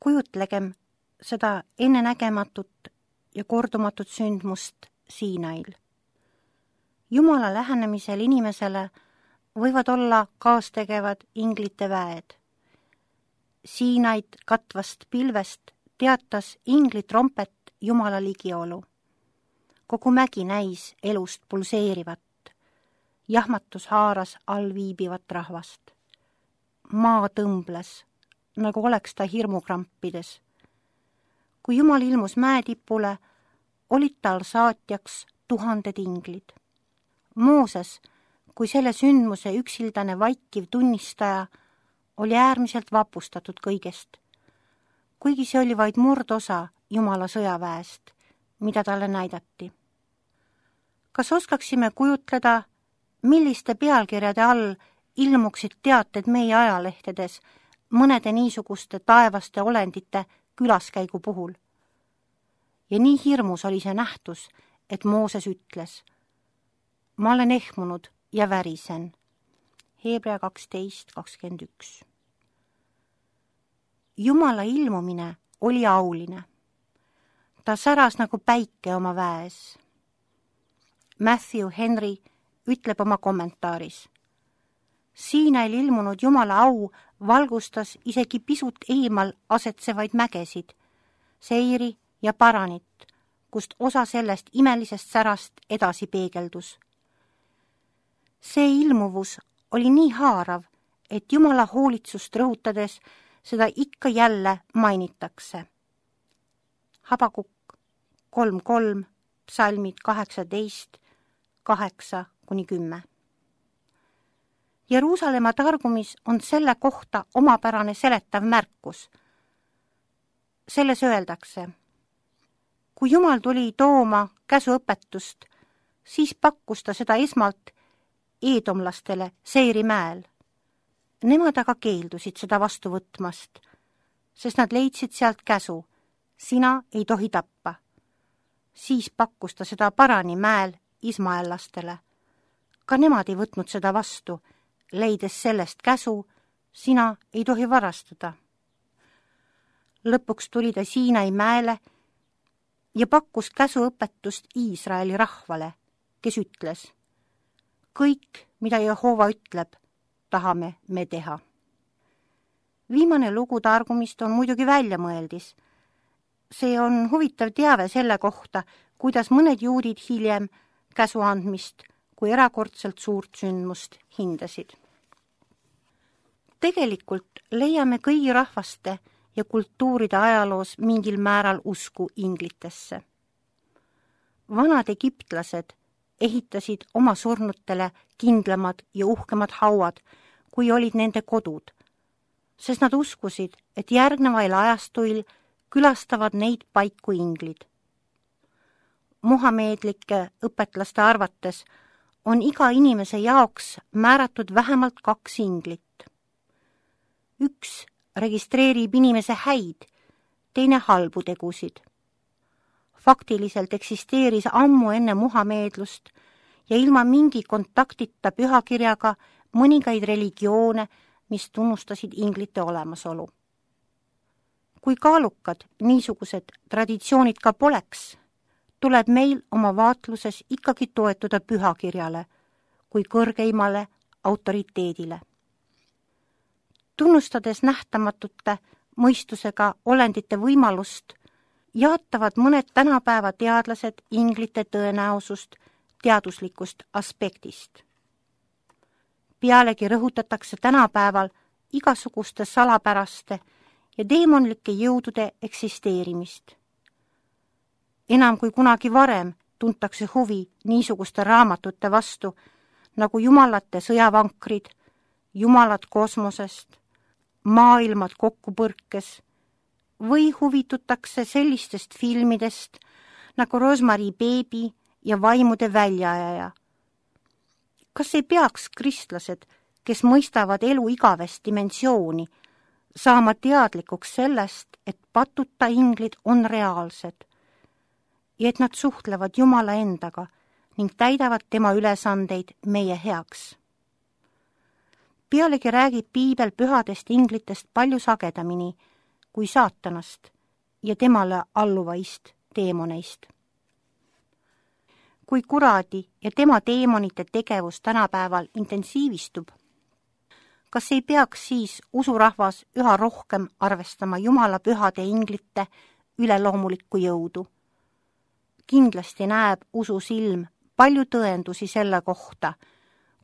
Kujutlegem seda ennenägematut ja kordumatut sündmust Siinail. Jumala lähenemisel inimesele võivad olla kaastegevad inglite väed. Siinaid katvast pilvest teatas ingli trompet Jumala ligiolu. Kogu mägi näis elust pulseerivat. Jahmatus haaras all viibivat rahvast. Maa tõmbles, nagu oleks ta hirmukrampides. Kui Jumal ilmus mäetipule, olid tal saatjaks 1000 inglid. Mooses, kui selle sündmuse üksildane vaikiv tunnistaja, oli äärmiselt vapustatud kõigest, kuigi see oli vaid murdosa Jumala sõjaväest, mida talle näidati. Kas oskaksime kujutleda, milliste pealkirjade all ilmuksid teated meie ajalehtedes mõnede niisuguste taevaste olendite külaskäigu puhul? Ja nii hirmus oli see nähtus, et Mooses ütles: ma olen ehmunud ja värisen. Hebra 12:21. Jumala ilmumine oli auline. Ta säras nagu päike oma väes. Matthew Henry ütleb oma kommentaaris: Siinail ilmunud Jumala au valgustas isegi pisut eemal asetsevaid mägesid, Seiri ja Paranit, kust osa sellest imelisest särast edasi peegeldus. See ilmuvus oli nii haarav, et Jumala hoolitsust rõhutades seda ikka jälle mainitakse. Habakuk 3:3, psalmid 18, 8-10. Jeruusalemma targumis on selle kohta omapärane seletav märkus. Selles öeldakse: kui Jumal tuli tooma käsuõpetust, siis pakkus ta seda esmalt eedomlastele Seiri mäel. Nemad aga keeldusid seda vastu võtmast, sest nad leidsid sealt käsu: sina ei tohi tappa. Siis pakkus ta seda Parani mäel ismaellastele. Ka nemad ei võtnud seda vastu, leides sellest käsu: sina ei tohi varastada. Lõpuks tuli ta Siinai mäele ja pakkus käsuõpetust Iisraeli rahvale, kes ütles: kõik, mida Jehova ütleb, tahame me teha. Viimane lugu targumist on muidugi väljamõeldis. See on huvitav teave selle kohta, kuidas mõned juudid hiljem käsu andmist kui erakordselt suurt sündmust hindasid. Tegelikult leiame kõigi rahvaste ja kultuuride ajaloos mingil määral usku inglitesse. Vanad egiptlased ehitasid oma surnutele kindlamad ja uhkemad hauad, kui olid nende kodud, sest nad uskusid, et järgnevail ajastuil külastavad neid paiku inglid. Muhameedlike õpetlaste arvates on iga inimese jaoks määratud vähemalt 2 inglit. Üks registreerib inimese häid, teine halbu tegusid. Faktiliselt eksisteeris ammu enne muhameedlust ja ilma mingi kontaktita pühakirjaga mõningaid religioone, mis tunnustasid inglite olemasolu. Kui kaalukad niisugused traditsioonid ka poleks, tuleb meil oma vaatluses ikkagi toetuda pühakirjale kui kõrgeimale autoriteedile. Tunnustades nähtamatute mõistusega olendite võimalust, jaatavad mõned tänapäeva teadlased inglite tõenäosust teaduslikust aspektist. Pealegi rõhutatakse tänapäeval igasuguste salapäraste ja deemonlike jõudude eksisteerimist. Enam kui kunagi varem tuntakse huvi niisuguste raamatute vastu nagu Jumalate sõjavankrid, Jumalad kosmosest, Maailmad kokkupõrkes või huvitutakse sellistest filmidest nagu Rosemary Baby ja Vaimude väljaajaja. Kas ei peaks kristlased, kes mõistavad elu igavest dimensiooni, saama teadlikuks sellest, et patuta inglid on reaalsed ja et nad suhtlevad Jumala endaga ning täidavad tema ülesandeid meie heaks? Pealegi räägib piibel pühadest inglitest palju sagedamini kui saatanast ja temale alluvaist teemoneist. Kui kuradi ja tema teemonite tegevus tänapäeval intensiivistub, kas ei peaks siis usurahvas üha rohkem arvestama Jumala pühade inglite üleloomulikku jõudu? Kindlasti näeb usu silm palju tõendusi selle kohta,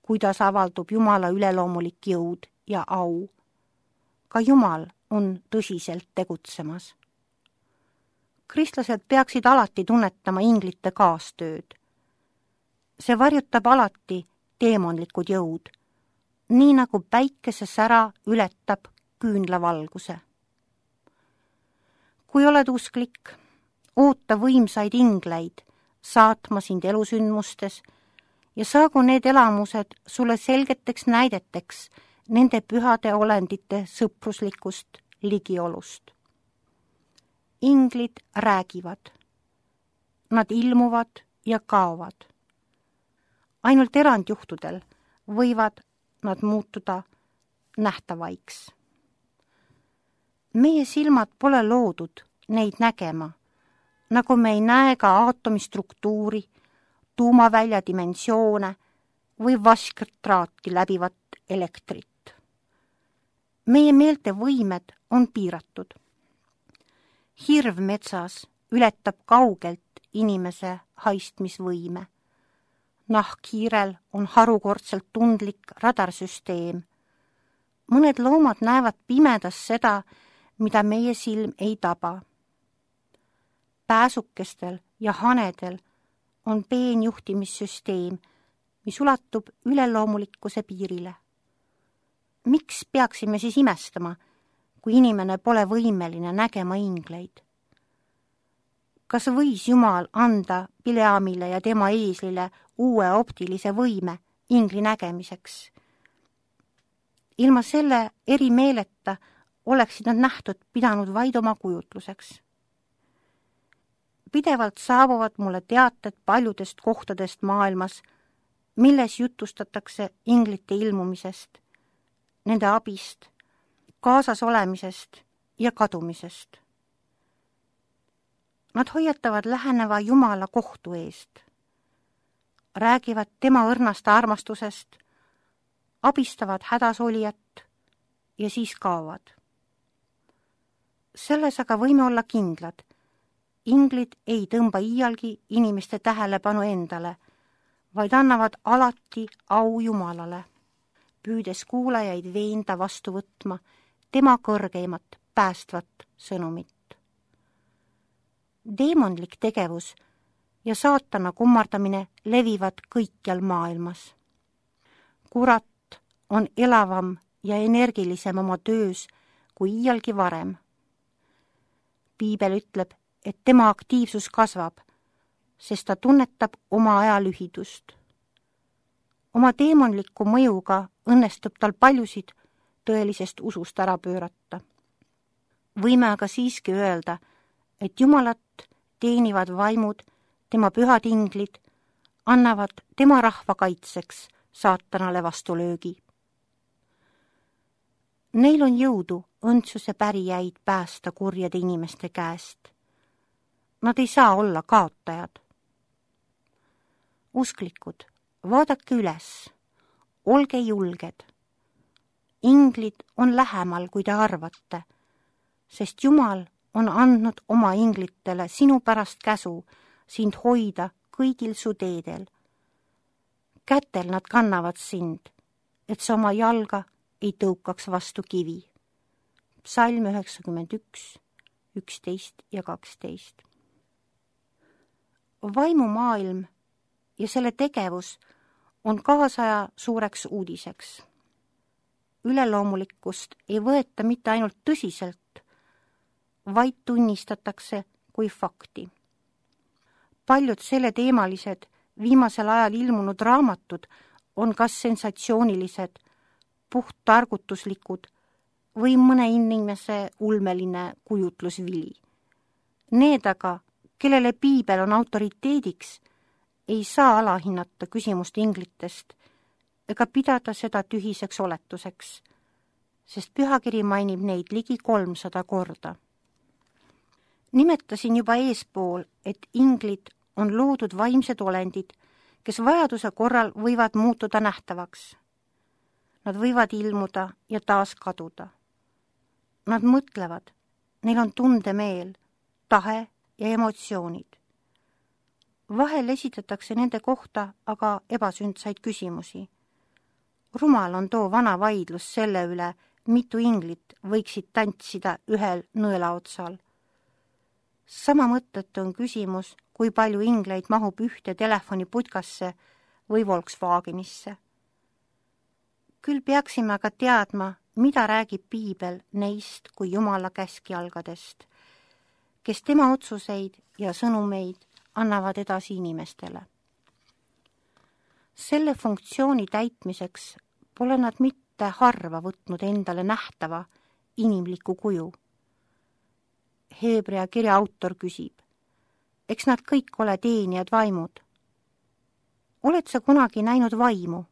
kuidas avaldub Jumala üleloomulik jõud ja au. Ka Jumal on tõsiselt tegutsemas. Kristlased peaksid alati tunnetama inglite kaastööd. See varjutab alati teemonlikud jõud, nii nagu päikesesära ületab küünlavalguse. Kui oled usklik, oota võimsaid ingleid saatma sind elusündmustes ja saagu need elamused sulle selgeteks näideteks nende pühade olendite sõpruslikust ligiolust. Inglid räägivad. Nad ilmuvad ja kaovad. Ainult erandjuhtudel võivad nad muutuda nähtavaiks. Meie silmad pole loodud neid nägema, nagu me ei näe ka aatomi struktuuri, tuumavälja dimensioone või vasktraati läbivat elektrit. Meie meelte võimed on piiratud. Hirv metsas ületab kaugelt inimese haistmisvõime. Nahkhiirel on harukordselt tundlik radarsüsteem. Mõned loomad näevad pimedas seda, mida meie silm ei taba. Pääsukestel ja hanedel on peenjuhtimissüsteem, mis ulatub üleloomulikkuse piirile. Miks peaksime siis imestama, kui inimene pole võimeline nägema ingleid? Kas võis Jumal anda Bileamile ja tema eeslile uue optilise võime ingli nägemiseks? Ilma selle erimeeleta oleksid nad nähtud pidanud vaid oma kujutluseks. Pidevalt saabuvad mulle teated paljudest kohtadest maailmas, milles jutustatakse inglite ilmumisest, nende abist, kaasas olemisest ja kadumisest. Nad hoiatavad läheneva Jumala kohtu eest, räägivad tema õrnast armastusest, abistavad hädasolijat ja siis kaovad. Selles aga võime olla kindlad. Inglid ei tõmba iialgi inimeste tähelepanu endale, vaid annavad alati au Jumalale, püüdes kuulajaid veenda vastu võtma tema kõrgeimat päästvat sõnumit. Deemonlik tegevus ja saatana kummardamine levivad kõikjal maailmas. Kurat on elavam ja energilisem oma töös kui iialgi varem. Piibel ütleb, et tema aktiivsus kasvab, sest ta tunnetab oma aja lühidust. Oma deemonliku mõjuga õnnestub tal paljusid tõelisest usust ära pöörata. Võime aga siiski öelda, et Jumalat teenivad vaimud, tema pühad inglid, annavad tema rahva kaitseks saatanale vastulöögi. Neil on jõudu õndsuse pärijaid päästa kurjade inimeste käest. Nad ei saa olla kaotajad. Usklikud, vaadake üles, olge julged. Inglid on lähemal, kui te arvate, sest Jumal on andnud oma inglitele sinu pärast käsu sind hoida kõigil su teedel. Kätel nad kannavad sind, et sa oma jalga ei tõukaks vastu kivi. Psalm 91, 11 ja 12. Vaimumaailm ja selle tegevus on kaasaja suureks uudiseks. Üleloomulikkust ei võeta mitte ainult tõsiselt, vaid tunnistatakse kui fakti. Paljud selle teemalised viimasel ajal ilmunud raamatud on kas sensatsioonilised, puhttargutuslikud või mõne inimese ulmeline kujutlusvili. Need aga, kellele Piibel on autoriteediks, ei saa alahinnata küsimust inglitest ega pidada seda tühiseks oletuseks, sest pühakiri mainib neid ligi 300 korda. Nimetasin juba eespool, et inglid on loodud vaimsed olendid, kes vajaduse korral võivad muutuda nähtavaks. Nad võivad ilmuda ja taas kaduda. Nad mõtlevad, neil on tundemeel, tahe ja emotsioonid. Vahel esitatakse nende kohta aga ebasündsaid küsimusi. Rumal on too vana vaidlus selle üle, mitu inglit võiksid tantsida ühel nõelaotsal. Sama mõttetu on küsimus, kui palju ingleid mahub ühte telefoniputkasse või Volkswagenisse. Küll peaksime aga teadma, mida räägib piibel neist kui Jumala käskjalgadest, kes tema otsuseid ja sõnumeid annavad edasi inimestele. Selle funktsiooni täitmiseks pole nad mitte harva võtnud endale nähtava inimliku kuju. Heebrea kirja autor küsib, eks nad kõik ole teenijad vaimud. Oled sa kunagi näinud vaimu?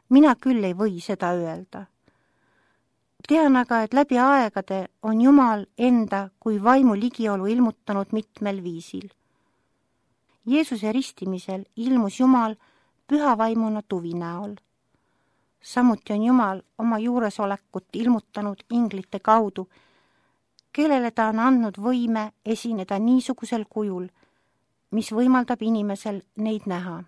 Mina küll ei või seda öelda. Tean aga, et läbi aegade on Jumal enda kui vaimu ligiolu ilmutanud mitmel viisil. Jeesuse ristimisel ilmus Jumal püha vaimuna tuvi näol. Samuti on Jumal oma juuresolekut ilmutanud inglite kaudu, kellele ta on andnud võime esineda niisugusel kujul, mis võimaldab inimesel neid näha.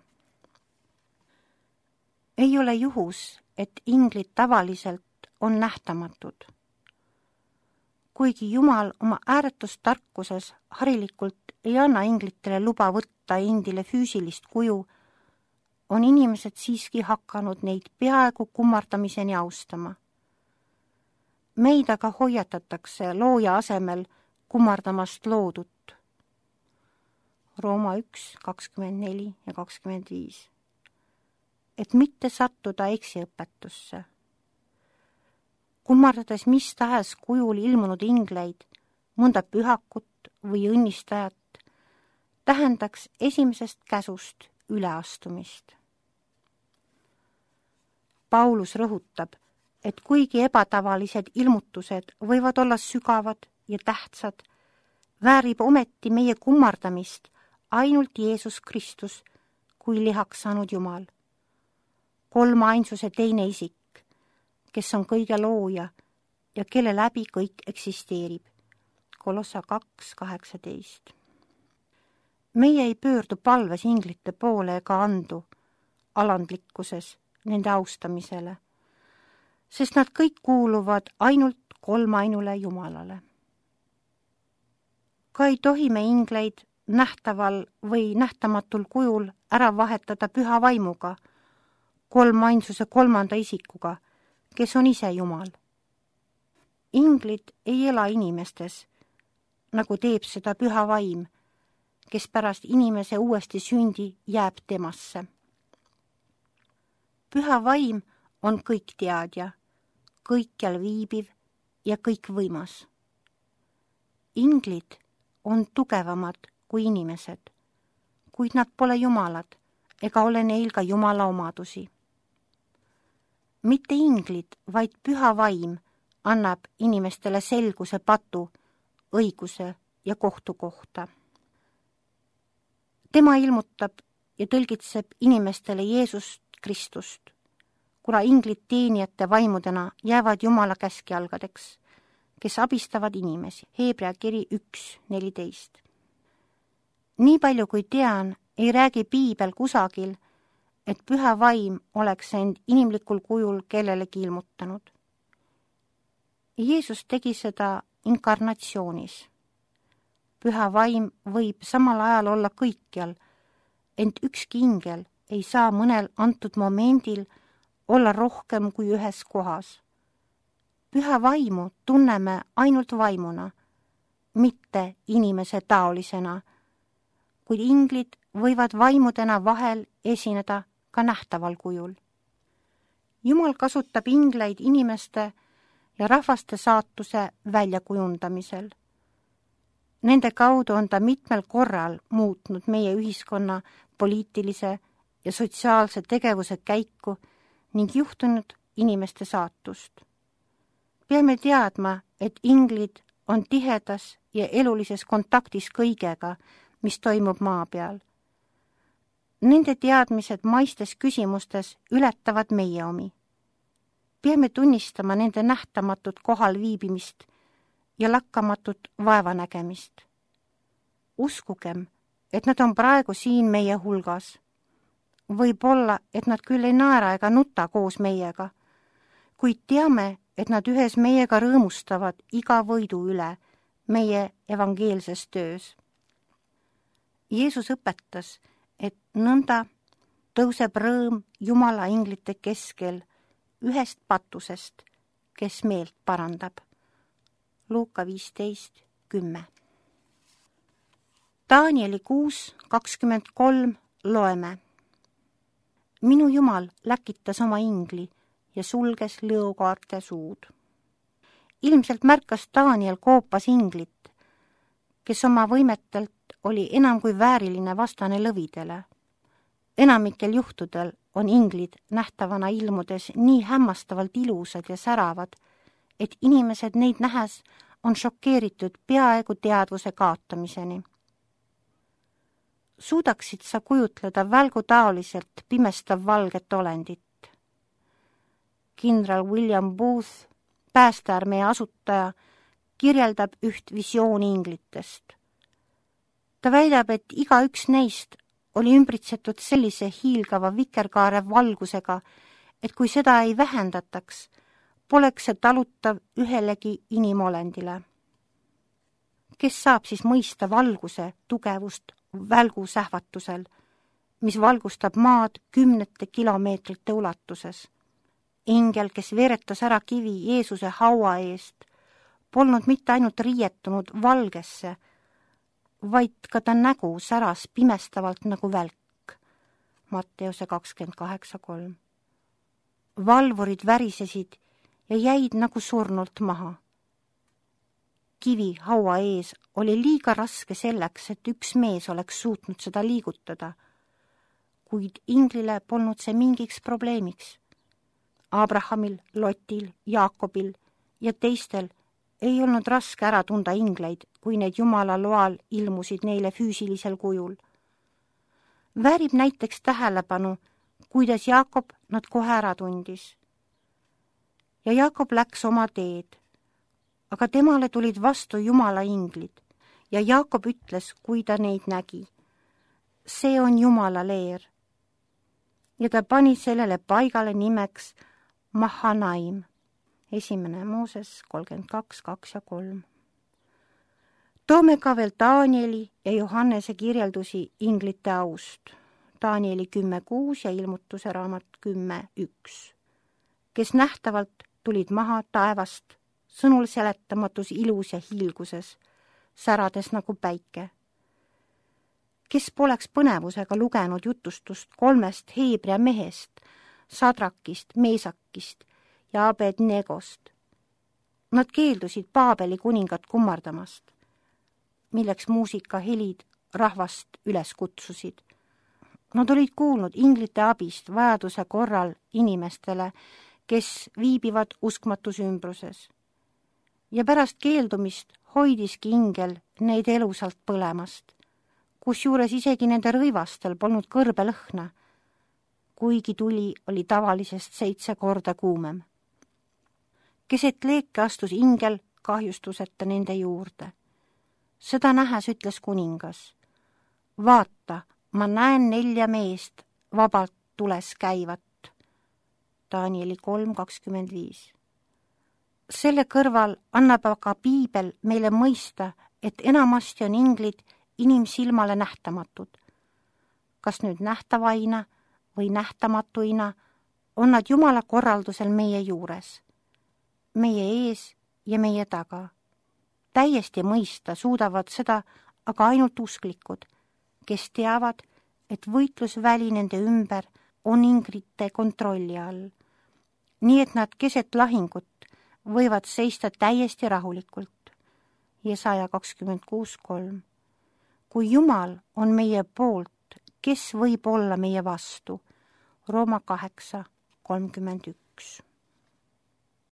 Ei ole juhus, et inglid tavaliselt on nähtamatud. Kuigi Jumal oma ääretust tarkuses harilikult ei anna inglitele luba võtta endile füüsilist kuju, on inimesed siiski hakanud neid peaaegu kummardamiseni austama. Meid aga hoiatatakse looja asemel kummardamast loodut. Rooma 1, 24 ja 25. Et mitte sattuda eksiõpetusse. Kummardades mis tahes kujul ilmunud ingleid, mõnda pühakut või õnnistajat, tähendaks esimesest käsust üleastumist. Paulus rõhutab, et kuigi ebatavalised ilmutused võivad olla sügavad ja tähtsad, väärib ometi meie kummardamist ainult Jeesus Kristus kui lihaks saanud Jumal. Kolmainsuse teine isik, kes on kõige looja ja kelle läbi kõik eksisteerib. Kolossa 2:18. Meie ei pöördu palves inglite poole ega andu alandlikkuses nende austamisele, sest nad kõik kuuluvad ainult kolmainule Jumalale. Ka ei tohi me ingleid nähtaval või nähtamatul kujul ära vahetada püha vaimuga, kolmainsuse kolmanda isikuga, kes on ise Jumal. Inglid ei ela inimestes, nagu teeb seda püha vaim, kes pärast inimese uuesti sündi jääb temasse. Püha vaim on kõikteadja, kõikjal viibiv ja kõikvõimas. Inglid on tugevamad kui inimesed, kuid nad pole jumalad ega ole neil ka Jumala omadusi. Mitte inglid, vaid püha vaim annab inimestele selguse patu, õiguse ja kohtu kohta. Tema ilmutab ja tõlgitseb inimestele Jeesust Kristust, kuna inglid teenijate vaimudena jäävad Jumala käskjalgadeks, kes abistavad inimesi. Heebrea kiri 1:14. Nii palju kui tean, ei räägi piibel kusagil, et püha vaim oleks end inimlikul kujul kellelegi ilmutanud. Jeesus tegi seda inkarnatsioonis. Püha vaim võib samal ajal olla kõikjal, ent ükski ingel ei saa mõnel antud momendil olla rohkem kui ühes kohas. Püha vaimu tunneme ainult vaimuna, mitte inimese taolisena, kuid inglid võivad vaimudena vahel esineda ka nähtaval kujul. Jumal kasutab ingleid inimeste ja rahvaste saatuse väljakujundamisel. Nende kaudu on ta mitmel korral muutnud meie ühiskonna poliitilise ja sotsiaalse tegevuse käiku ning juhtunud inimeste saatust. Peame teadma, et inglid on tihedas ja elulises kontaktis kõigega, mis toimub maa peal. Nende teadmised maistes küsimustes ületavad meie omi. Peame tunnistama nende nähtamatut kohal viibimist ja lakkamatut vaevanägemist. Uskugem, et nad on praegu siin meie hulgas. Võib-olla, et nad küll ei naera ega nuta koos meiega, kuid teame, et nad ühes meiega rõõmustavad iga võidu üle meie evangeelses töös. Jeesus õpetas, et nõnda tõuseb rõõm Jumala inglite keskel ühest patusest, kes meelt parandab. Luuka 15:10. Danieli 6:23 loeme. Minu Jumal läkitas oma ingli ja sulges lõukaarte suud. Ilmselt märkas Daniel koopas inglit, kes oma võimetelt oli enam kui vääriline vastane lõvidele. Enamikel juhtudel on inglid nähtavana ilmudes nii hämmastavalt ilusad ja säravad, et inimesed neid nähes on šokeeritud peaaegu teadvuse kaotamiseni. Suudaksid sa kujutleda välgutaoliselt pimestav valget olendit? Kindral William Booth, päästearmee asutaja, kirjeldab üht visiooni inglitest. Ta väidab, et igaüks neist oli ümbritsetud sellise hiilgava vikerkaare valgusega, et kui seda ei vähendataks, poleks see talutav ühelegi inimolendile. Kes saab siis mõista valguse tugevust välgusähvatusel, mis valgustab maad 10 kilomeetrite ulatuses? Ingel, kes veeretas ära kivi Jeesuse haua eest, polnud mitte ainult riietunud valgesse, vaid ka ta nägu säras pimestavalt nagu välk. Matteuse 28:3. Valvurid värisesid ja jäid nagu surnult maha. Kivi haua ees oli liiga raske selleks, et üks mees oleks suutnud seda liigutada, kuid inglile polnud see mingiks probleemiks. Abrahamil, Lotil, Jaakobil ja teistel ei olnud raske ära tunda ingleid, kui need Jumala loal ilmusid neile füüsilisel kujul. Väärib näiteks tähelepanu, kuidas Jaakob nad kohe ära tundis. Ja Jaakob läks oma teed, aga temale tulid vastu Jumala inglid ja Jaakob ütles, kui ta neid nägi: see on Jumala leer. Ja ta pani sellele paigale nimeks Mahanaim. 1. Mooses 32:2-3. Toome ka veel Danieli ja Johannese kirjeldusi inglite aust. Danieli 10:6 ja ilmutuse raamat 10:1, kes nähtavalt tulid maha taevast, sõnul seletamatus ilus ja hiilguses, särades nagu päike. Kes poleks põnevusega lugenud jutustust 3 Heebrea mehest, Sadrakist, Meesakist ja Abednegost. Nad keeldusid Paabeli kuningat kummardamast, milleks muusikahelid rahvast üles kutsusid. Nad olid kuulnud inglite abist vajaduse korral inimestele, kes viibivad uskmatus ümbruses. Ja pärast keeldumist hoidiski ingel neid elusalt põlemast, kusjuures isegi nende rõivastel polnud kõrbelõhna, kuigi tuli oli tavalisest 7 korda kuumem. Keset leeke astus ingel kahjustuseta nende juurde. Seda nähes ütles kuningas: vaata, ma näen 4 meest vabalt tules käivat. Danieli 3:25. Selle kõrval annab aga piibel meile mõista, et enamasti on inglid inimsilmale nähtamatud. Kas nüüd nähtavaina või nähtamatuina, on nad Jumala korraldusel meie juures, meie ees ja meie taga. Täiesti mõista suudavad seda aga ainult usklikud, kes teavad, et võitlusväli nende ümber on inglite kontrolli all, nii et nad keset lahingut võivad seista täiesti rahulikult. Jesaja 26:3. Kui Jumal on meie poolt, kes võib olla meie vastu? Rooma 8:31.